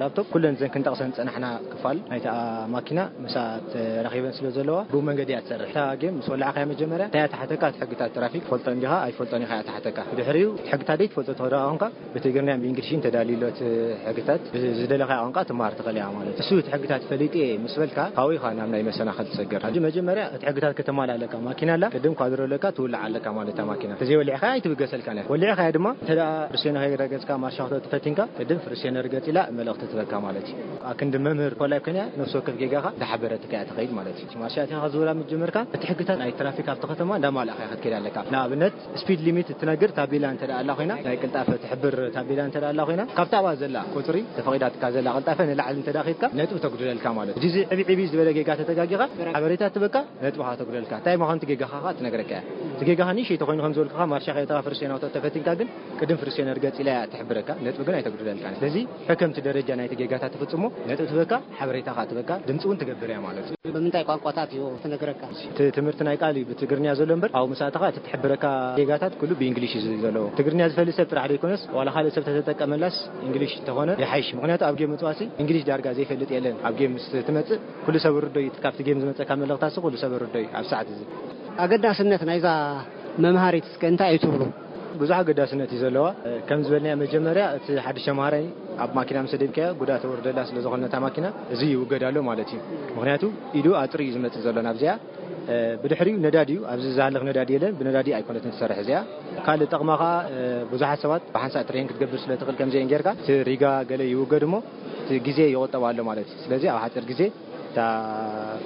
ላፕቶፕ ኩለን እዘን ክንጠቕሰን ዝጸናሕና ክፋል ናይታ ማኪና ምስኣ ተራኺበን ስለ ዘለዋ ብኡ መንገዲ እያ ትሰርሕ። እታ ጌም ምስ ወላዕካያ መጀመርያ እንታይ እያ ትሓተካ? እቲ ሕግታት ትራፊክ ትፈልጦ እንዲኻ ኣይትፈልጦን ኢኻ እያ ትሓተካ። ብድሕሪኡ እቲ ሕግታት ዘይትፈልጦ ተወዳኣ ኾንካ ብትግርኛን ብእንግሊሽን ተዳልዩ ኣሎ እቲ ሕግታት። ብዝደለኻዮ ቋንቋ ትመሃር ትኽእል ኢኻ ማለት እዩ። እሱ እቲ ሕግታት ፈሊጠ እየ ምስ በልካ ካብኡ ኢኻ ናብ ናይ መሰናኽል ትሰገር። ሕጂ መጀመርያ እቲ ሕግታት ከተማልእ ኣለካ። ማኪና ኣላ፣ ቅድም ኳድሮ ኣለካ፣ ትውላዕ ኣለካ ማለት እታ ማኪና። ተዘይወሊዕካያ ኣይትብገሰልካን እያ። ወሊዕካያ ድማ እንተ ደኣ ፍርሴኖ ከይረገጽካ ማርሻ ክትወጥእ ፈቲንካ፣ ቅድም ፍርሴኖ ርገጽ ኢላ መልእኽቲ ትበካ ማለት እዩ። ኣክንዲ መምህር ኮላይ ኮይና ነፍሲ ወከፍ ጌጋኻ እንዳሓበረትካ እያ ትኸይድ ማለት እዩ። ማርሻ ኣቲኻ ክትዝውራ ምስ ጀመርካ፣ እቲ ሕግታት ናይ ትራፊክ ኣብቲ ከተማ እንዳማልእካ ክትከይድ ኣለካ። ንኣብነት ስፒድ ሊሚት እትነግር ታቤላ እንተ ደኣ ኣላ ኮይና፣ ናይ ቅልጣፈ ትሕብር ታቤላ እንተ ደኣ ኣላ ኮይና፣ ካብታ ኣብኣ ዘላ ቁጽሪ ተፈቒዳትካ ዘላ ቅልጣፈ ንላዕሊ እንተ ደኣ ኬድካ፣ ነጥቢ ተጉድለልካ ማለት እዩ። እዚ ዕብይ ዕብይ ዝበለ ጌጋ ተተጋጊኻ፣ ሓበሬታ ትበካ፣ ነጥብኻ ተጉድለልካ። እንታይ ምዃኑ እቲ ጌጋኻ ኸኣ ትነግረካ እያ። እቲ ጌጋኻ ንእሽተይ ተኾይኑ ከም ዝበልኩኻ፣ ማርሻ ከይተኻ ፍርሴን ኣውቶ ተፈቲንካ ግን፣ ቅድም ፍርሴን ርገጽ ኢላ እያ ትሕብረካ፣ ነጥቢ ግን ኣይተጉድለልካን። ስለዚ ከከምቲ ደረጃ ናይቲ ጌጋታት ትፍጽሞ፣ ነጥቢ ትበካ፣ ሓበሬታ ኸኣ ትበካ፣ ድምጺ እውን ትገብር እያ ማለት እዩ። ብምንታይ ቋንቋታት እዩ ትነግረካ? እቲ ትምህርቲ ናይ ቃል እዩ ብትግርኛ ዘሎ እምበር፣ ኣብኡ ምስ ኣተኻ እቲ ትሕብረካ ጌጋታት ኩሉ ብእንግሊሽ እዩ ዘሎ። ትግርኛ ዝፈልጥ ሰብ ጥራሕ ዘይኮነስ፣ ዋላ ካልእ ሰብ ተተጠቀመላስ እንግሊሽ እንተኾነ ይሓይሽ። ምኽንያቱ ኣብ ጌም ምጽዋትሲ እንግሊሽ ዳርጋ ዘይፈልጥ የለን። ኣብ ጌም ምስ ትመጽእ ኩሉ ሰብ ርዶ እዩ፣ ካብቲ ጌም ዝመጸካ መልእኽታትሲ ኩሉ ሰብ ርዶ እዩ ኣብ ሰዓት እዚ። ኣገዳስነት ናይዛ መምሃሪት እስከ እንታይ እዩ ትብሉ? ብዙሕ ኣገዳስነት እዩ ዘለዋ። ከም ዝበልናዮ መጀመርያ እቲ ሓድሽ ተምሃራይ ኣብ ማኪና ምስ ደይብካዮ ጉድኣት ተወርደላ ስለ ዝኾነ ነታ ማኪና እዚ ይውገድ ኣሎ ማለት እዩ። ምኽንያቱ ኢዱ ኣጥሪ እዩ ዝመጽእ ዘሎ ናብዚኣ። ብድሕሪኡ ነዳዲ እዩ፣ ኣብዚ ዝሃልኽ ነዳዲ የለን፣ ብነዳዲ ኣይኮነትን ትሰርሕ እዚኣ። ካልእ ጠቕማ ኸኣ ብዙሓት ሰባት ብሓንሳእ ትሬን ክትገብር ስለ ትኽእል ከምዚአን ጌርካ እቲ ሪጋ ገለ ይውገድ እሞ እቲ ግዜ ይቑጠብ ኣሎ ማለት እዩ። ስለዚ ኣብ ሓፂር ግዜ እታ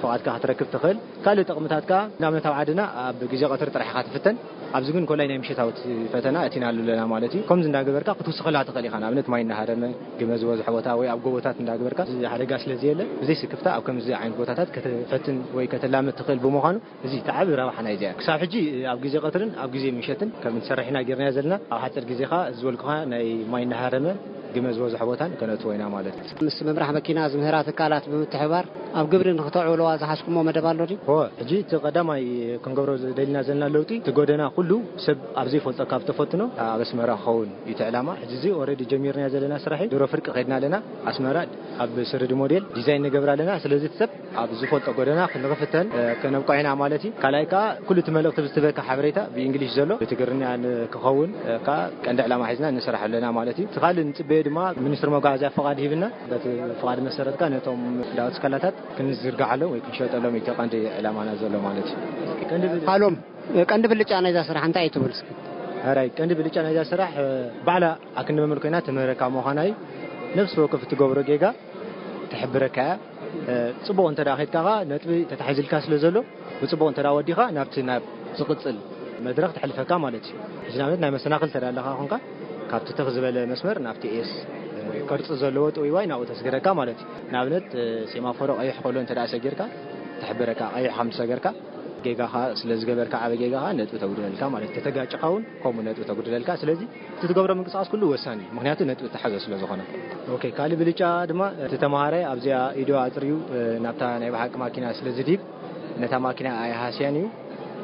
ፍቓድካ ክትረክብ ትኽእል። ካልእ ጥቕምታት ከኣ ንኣብነት ኣብ ዓድና ኣብ ግዜ ቀትሪ ጥራሕ ኢኻ ትፍተን። ኣብዚ ግን ኮላይ ናይ ምሽታዊ ፈተና እቲናሉ ኣለና ማለት እዩ። ከምዚ እንዳገበርካ ክትውስኸላ ትኽእል ኢኻ። ንኣብነት ማይ እናሃረመ፣ ግመ ዝበዝሖ ቦታ ወይ ኣብ ጎቦታት እንዳገበርካ፣ እዚ ሓደጋ ስለ ዘየለ፣ ብዘይ ስክፍታ ኣብ ከምዚ ዓይነት ቦታታት ከተፈትን ወይ ከተላምድ ትኽእል ብምዃኑ፣ እዚ እቲ ዓቢ ረብሓ ናይዚ እያ። ክሳብ ሕጂ ኣብ ግዜ ቀትርን ኣብ ግዜ ምሸትን ከም እንሰርሕ ኢና ጌርናዮ ዘለና። ኣብ ሓፂር ግዜ ከኣ እዚ ዝበልኩኻ ናይ ማይ እናሃረመ፣ ግመ ዝበዝሖ ቦታን ከነእትዎ ኢና ማለት እዩ። ምስ መምራሕ መኪና ዝምህራ ትካላት ብምትሕብባር ኣብ ግብሪ ንኽተዕውልዋ ዝሓዝኩሞ መደብ ኣሎ ድዩ? እወ፣ ሕጂ እቲ ቀዳማይ ክንገብሮ ዝደሊና ዘለና ለውጢ፣ እቲ ጎደና ኩሉ ሰብ ኣብ ዘይፈልጦ ካብ ተፈትኖ ኣብ ኣስመራ ክኸውን እዩ እቲ ዕላማ። ሕጂ እዚ ኦረዲ ጀሚርናዮ ዘለና ስራሕ እዩ። ድሮ ፍርቂ ከድና ኣለና። ኣስመራ ኣብ ስርዲ ሞዴል ዲዛይን ንገብር ኣለና። ስለዚ እቲ ሰብ ኣብ ዝፈልጦ ጎደና ክንኽፍተን፣ እ፣ ከነብቅዖ ኢና ማለት እዩ። ካልኣይ ከኣ ኩሉ እቲ መልእኽቲ ብዝትበካ ሓበሬታ ብእንግሊሽ ዘሎ ብትግርኛ ን-፣ ክኸውን፣ እ፣ ከኣ ቀንዲ ዕላማ ሒዝና ንሰርሕ ኣለና ማለት እዩ። እቲ ካልእ ንጽበዮ ድማ ሚኒስትሪ መጓዓዝያ ፍቓድ ሂብና፣ በቲ ፍቓድ መሰረት ከኣ ነቶም ዳውት ስካላታት ክንዝርግሓሎም ወይ ክንሸጠሎም እዩ እቲ ቀንዲ ዕላማና ዘሎ ማለት እዩ። ቀንዲ ብ-፣ ሃሎም፣ ቀንዲ ብልጫ ናይዛ ስራሕ እንታይ እዩ ትብል እስኪ? ሕራይ፣ ቀንዲ ብልጫ ናይዛ ስራሕ፣ እ፣ ባዕላ ኣክንዲ መምህር ኮይና ትምህረካ ምዃና እዩ። ነፍሲ ወከፍ እትገብሮ ጌጋ ትሕብረካ እያ። እ፣ ጽቡቕ እንተ ደኣ ኸይድካ ኸኣ ነጥቢ ተታሒዙልካ ስለ ዘሎ፣ ብጽቡቕ እንተ ደኣ ወዲኻ ናብቲ ናብ ዝቕጽል መድረኽ ተሕልፈካ ማለት እዩ። ሕጂ ንኣብነት ናይ መሰናኽል እንተ ደኣ ኣለኻ ኾንካ፣ ካብቲ ትኽ ዝበለ መስመር ናብቲ ኤስ፣ እ፣ ቅርጺ ዘለዎ ጥውይዋይ ናብኡ ተስግረካ ማለት እዩ። ንኣብነት፣ እ፣ ሴማፎሮ ቀይሕ ከሎ እንተ ደኣ ሰጊርካ፣ ትሕብረካ ቀይሕ ከም ዝሰገርካ፣ ጌጋኻ ስለ ዝገበርካ፣ ዓቢ ጌጋኻ ነጥቢ ተጉድለልካ ማለት እዩ። ተተጋጭኻ እውን ከምኡ ነጥቢ ተጉድለልካ። ስለዚ እቲ ትገብሮ ምንቅስቓስ ኩሉ ወሳኒ እዩ፣ ምኽንያቱ ነጥቢ እተሓዞ ስለ ዝኾነ። ኦኬ፣ ካልእ ብልጫ ድማ እቲ ተምሃራይ ኣብዚኣ ኢዱ ኣጥርዩ፣ እ፣ ናብታ ናይ ብሓቂ ማኪና ስለ ዝድይብ፣ ነታ ማኪና ኣይሃስያን እዩ።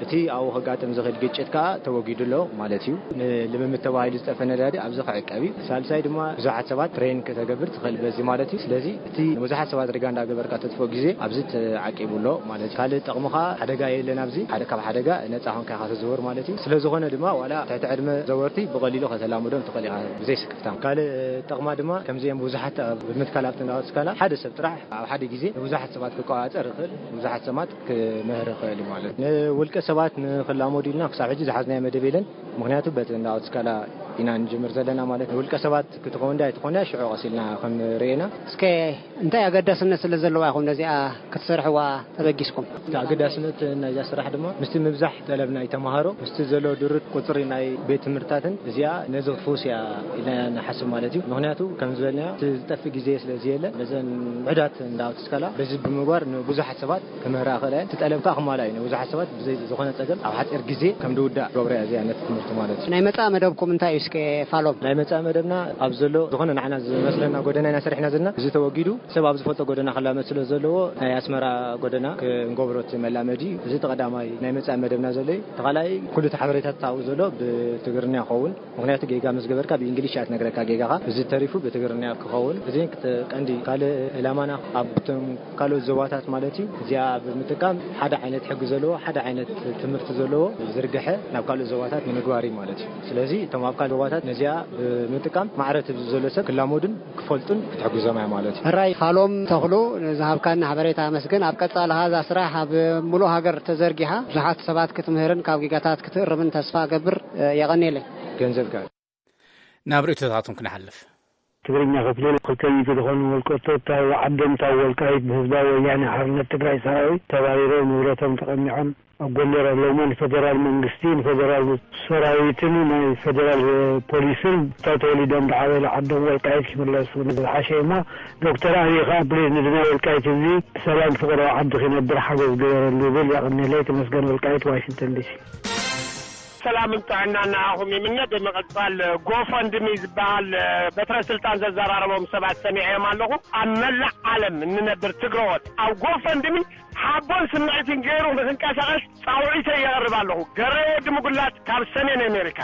እቲ ኣብኡ ከጋጥም ዝኽእል ግጭት ከኣ ተወጊዱ ኣሎ ማለት እዩ። ንልምምድ ተባሂሉ ዝጠፈ ነዳዲ ኣብዚ ክዕቀብ እዩ። ሳልሳይ ድማ ብዙሓት ሰባት ትሬን ከተገብር ትኽእል በዚ ማለት እዩ። ስለዚ እቲ ንብዙሓት ሰባት ሪጋ እንዳገበርካ ተጥፍኦ ግዜ ኣብዚ ተዓቂቡ ኣሎ ማለት እዩ። ካልእ ጥቕሚ ከኣ ሓደጋ የለን ኣብዚ። ሓደ ካብ ሓደጋ ነጻ ኮንካ ኢኻ ትዝውር ማለት እዩ። ስለ ዝኾነ ድማ ዋላ ትሕቲ ዕድመ ዘወርቲ ብቐሊሉ ከተላምዶም ትኽእል ኢኻ ብዘይ ስክፍታ። ካልእ ጥቕማ ድማ ከምዚኦም ብዙሓት ኣብ ምትካል ኣብቲ እንዳወስካላ ሓደ ሰብ ጥራሕ ኣብ ሓደ ግዜ ንብዙሓት ሰባት ክቆጻጸር ይኽእል፣ ብዙሓት ሰባት ክምህር ይኽእል እዩ ማለት እዩ። ንውልቀ ሰባት ንኽላመዱ ኢልና ክሳብ ሕጂ ዝሓዝናዮ መደብ የለን። ምኽንያቱ በቲ እንዳወስካላ ኢና ንጅምር ዘለና ማለት እዩ። ንውልቀ ሰባት ክትኸውን ድያ ኣይትኾንያ ሽዑ ቀስ ኢልና ክንርእየና። እስከ እንታይ ኣገዳስነት ስለ ዘለዋ ኢኹም ነዚኣ ክትሰርሕዋ ተበጊስኩም? እቲ ኣገዳስነት ናይዛ ስራሕ ድማ ምስቲ ምብዛሕ ጠለብ ናይ ተምሃሮ፣ ምስቲ ዘሎ ድሩት ቁጽሪ ናይ ቤት ትምህርትታትን እዚኣ ነዚ ክትፍውስ እያ ኢልና ንሓስብ ማለት እዩ። ምኽንያቱ ከም ዝበልናዮ እቲ ዝጠፍእ ግዜ ስለ ዘየለ ነዘን ውሑዳት እንዳወስካላ በዚ ብምግባር ንብዙሓት ሰባት ክምህራ ክእላ እየን። እቲ ጠለብ ከኣ ክማልኣ እዩ። ንብዙሓት ሰባት ብዘይ ዝኾነ ጸገም ኣብ ሓጺር ግዜ ከም ዝውዳእ ገብረ እያ እዚኣ ነቲ ትምህርቲ ማለት እዩ። ናይ መጻኢ መደብኩም እንታይ እዩ እስከ ፋሎም? ናይ መጻኢ መደብና ኣብ ዘሎ ዝኾነ ንዓና ዝመስለና ጎደና ኢና ሰሪሕና ዘለና። እዚ ተወጊዱ ሰብ ኣብ ዝፈልጦ ጎደና ክላመድ ስለ ዘለዎ ናይ ኣስመራ ጎደና ክንገብሮ እቲ መላመዲ እዩ። እዚ እቲ ቀዳማይ ናይ መጻኢ መደብና ዘሎ እዩ። እቲ ካልኣይ ኩሉ እቲ ሓበሬታታት ኣብኡ ዘሎ ብትግርኛ ይኸውን። ምኽንያቱ ጌጋ ምስ ገበርካ ብእንግሊሽ እያ ትነግረካ ጌጋኻ። እዚ ተሪፉ ብትግርኛ ክኸውን። እዚ ክተ-፣ ቀንዲ ካልእ ዕላማና ኣብቶም ካልኦት ዞባታት ማለት እዩ። እዚኣ ብምጥቃም ሓደ ዓይነት ሕጊ ዘለዎ፣ ሓደ ዓይነት ትምህርቲ ዘለዎ ዝርግሐ ናብ ካልኦት ዞባታት ንምግባር እዩ ማለት እዩ። ስለዚ እቶም ኣብ ካልእ ዞባታት ነዚኣ ብምጥቃም ማዕረ እቲ ዘሎ ሰብ ክላመዱን ክፈልጡን ክትሕግዞም እያ ማለት እዩ። ሕራይ ፋሎም ተኽሉ፣ ንዝሃብካኒ ሓበሬታ ኣመስግን። ኣብ ቀጻሊ ኸኣ እዛ ስራሕ ኣብ ሙሉእ ሃገር ተዘርጊሓ ብዙሓት ሰባት ክትምህርን ካብ ጌጋታት ክትእርምን ተስፋ እገብር። የቐንየለይ። ገንዘብካ ናብ ርእይቶታቶም ክንሓልፍ። ትግርኛ ክፍሊ ክልተ ሚእቲ ዝኾኑ ወልቀቶት ኣብ ዓዶም ታብ ወልቃይት ብህዝባዊ ወያነ ሓርነት ትግራይ ሰራዊት ተባሪሮም ንብረቶም ተቐሚዖም ኣብ ጎንደር ኣለውሞ ንፌደራል መንግስቲ፣ ንፌደራል ሰራዊትን ናይ ፌደራል ፖሊስን እታ ተወሊዶም ዝዓበየላ ዓዶም ወልቃይት ክምለሱ ዝሓሸ እሞ ዶክተር ኣብይ ከኣ ፕሊዝ ንድና ወልቃይት ህዝቢ ብሰላም ፍቕሪ ኣብ ዓዲ ክነብር ሓገዝ ግበረሉ ይብል። የቐንየለይ። ተመስገን ወልቃይት፣ ዋሽንግተን ዲሲ። ሰላምን ጥዕናን ንዓኹም ይምነ። ብምቕጻል ጎፈንድሚ ዝበሃል በትረ ስልጣን ዘዘራረቦም ሰባት ሰሚዐዮም ኣለኹ። ኣብ መላእ ዓለም እንነብር ትግረዎት ኣብ ጎፈንድሚ ሓቦን ስምዒትን ገይሩ ንኽንቀሳቐስ ጻውዒተይ የቕርብ ኣለኹ። ገረይ ወዲ ምጉላት ካብ ሰሜን ኣሜሪካ።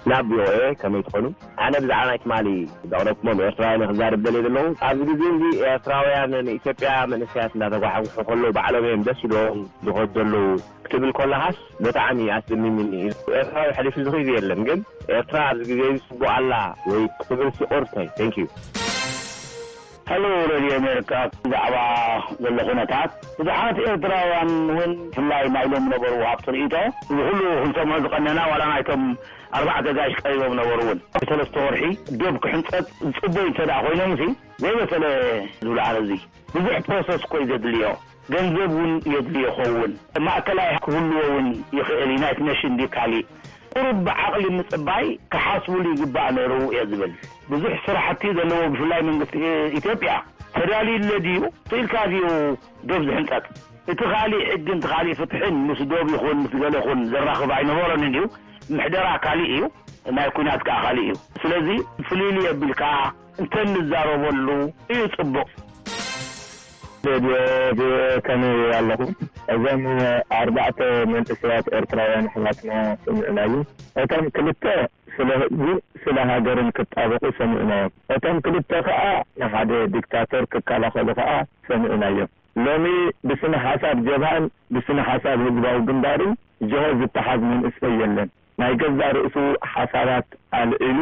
ናብ ቪኦኤ ከመይ ትኾኑ? ኣነ ብዛዕባ ናይ ትማሊ ዘቕረብኩሞም ኤርትራውያን ክዛረብ ደልየ ዘለኹ። ኣብዚ ግዜ እዚ ኤርትራውያን ንኢትዮጵያ መንእሰያት እንዳተጓሕጉሑ ከለዉ ባዕሎም እዮም ደስ ኢሎም ዝኸዱ ዘለዉ ክትብል ከለኻስ ብጣዕሚ ኣስደሚምኒ እዩ። ኤርትራዊ ሕሊፉ ዝኽይድ የለን፣ ግን ኤርትራ ኣብዚ ግዜ እዚ ጽቡቕ ኣላ ወይ ክትብል ሲቑርተይ። Thank you። ሄሎ ሬድዮ ኣሜሪካ፣ ብዛዕባ ዘሎ ኩነታት ብዙሓት ኤርትራውያን እውን ብፍላይ ናይ ሎም ነበሩ ሃብቲ ርእይቶ እዚ ኩሉ ክንሰምዖ ዝቐነና ዋላ ናይቶም ኣርባዕተ ጋሽ ቀሪቦም ነበሩ እውን ሰለስተ ወርሒ ዶብ ክሕንጸጥ ዝጽበዩ እንተ ደኣ ኮይኖም ሲ ዘይበሰለ ዝብሉ ኣነ እዚ ብዙሕ ፕሮሰስ እኮ እዩ ዘድልዮ። ገንዘብ እውን የድልዮ ይኸውን። ማእከላይ ክህልዎ እውን ይኽእል። ዩናይትድ ኔሽን ድዩ ካሊእ? ቁሩብ ብዓቕሊ ምጽባይ ክሓስቡሉ ይግባእ ነይሩ እየ ዝብል። ብዙሕ ስራሕቲ ዘለዎ ብፍላይ መንግስቲ ኢትዮጵያ ተዳልዩለ ድዩ? ክኢልካ ድዩ ዶብ ዝሕንጠጥ? እቲ ካሊእ ሕግን እቲ ካሊእ ፍትሕን ምስ ዶብ ይኹን ምስ ገለ ይኹን ዘራኽብ ኣይነበሮን እዩ። ምሕደራ ካሊእ እዩ፣ ናይ ኲናት ከኣ ካሊእ እዩ። ስለዚ ፍልይልይ ኣቢልካ እንተንዛረበሉ እዩ ጽቡቕ። ሬድዮ ቪኦኤ ከመይ ኣለኹም? እዞም ኣርባዕተ መንእሰያት ኤርትራውያን ኣሕዋትና ስምዕናዩ። እቶም ክልተ ስለ ህዝብን ስለ ሃገርን ክጣበቑ ሰሚዕናዮም። እቶም ክልተ ከኣ ንሓደ ዲክታተር ክከላኸሉ ከኣ ሰሚዕናዮም። ሎሚ ብስነ ሓሳብ ጀብሃን ብስነ ሓሳብ ህዝባዊ ግንባርን ጅሆ ዝተሓዝ መንእሰይ የለን። ናይ ገዛእ ርእሱ ሓሳባት ኣልዒሉ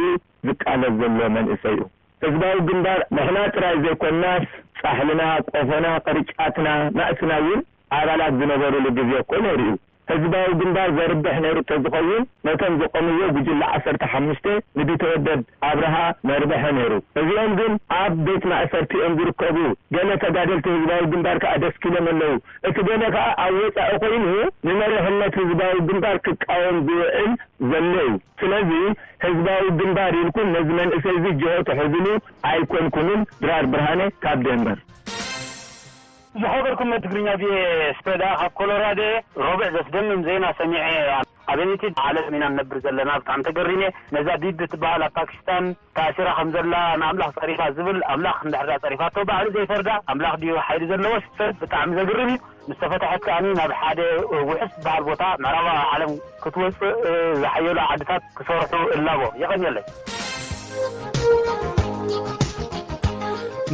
ዝቃለስ ዘሎ መንእሰይ እዩ። ህዝባዊ ግንባር ንሕና ጥራይ ዘይኮንናስ ጻሕልና፣ ቆፎና፣ ቅርጫትና፣ ናእስና እውን ኣባላት ዝነበሩሉ ግዜ እኮ ነይሩ እዩ። ህዝባዊ ግንባር ዘርብሕ ነይሩ እንተዝኸውን ነቶም ዝቆምዎ ጉጅለ ዓሰርተ ሓሙሽተ ንቢተወደድ ኣብርሃ መርብሐ ነይሩ። እዚኦም ግን ኣብ ቤት ማእሰርቲ እዮም ዝርከቡ። ገለ ተጋደልቲ ህዝባዊ ግንባር ከኣ ደስኪሎም ኣለዉ። እቲ ገለ ከኣ ኣብ ወጻኢ ኮይኑ ንመሪሕነት ህዝባዊ ግንባር ክቃወም ዝውዕል ዘሎ እዩ። ስለዚ ህዝባዊ ግንባር ኢልኩም ነዚ መንእሰይ እዚ ጅሆ ትሕዝሉ ኣይኮንኩምን። ድራር ብርሃነ ካብ ደንቨር። ዝኸበርኩም ትግርኛ ቪኦኤ ስፕሬዳ ካብ ኮሎራዶ ረቡዕ ዘስደምም ዜና ሰሚዐ። ኣበየነይቲ ዓለም ኢና ንነብር ዘለና? ብጣዕሚ ተገሪመ። ነዛ ቢቢ ትበሃል ኣብ ፓኪስታን ተኣሲራ ከም ዘላ ንኣምላኽ ጸሪፋ ዝብል፣ ኣምላኽ እንድሕር ጸሪፋቶ ባዕሉ ዘይፈርዳ ኣምላኽ ድዩ ሓይሊ ዘለዎ? ሰብ ብጣዕሚ ዘግርም እዩ። ምስ ተፈትሐት ከኣ ናብ ሓደ ውሑስ ዝበሃል ቦታ ምዕራባዊ ዓለም ክትወጽእ ዝሓየሉ ዓድታት ክሰርሑ እላቦ። የቐንየለይ።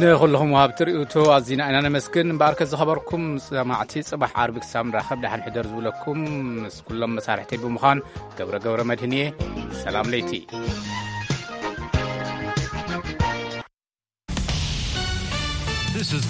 ንኹልኹም ወሃብቲ ርእይቶ ኣዚና ኢና ነመስግን። እምበኣርከ ዝኸበርኩም ሰማዕቲ፣ ጽባሕ ዓርቢ ክሳብ ንራኸብ ደሓን ሕደር ዝብለኩም ምስ ኩሎም መሳርሕተይ ብምዃን ገብረ ገብረ መድህን እየ። ሰላም ለይቲ። This is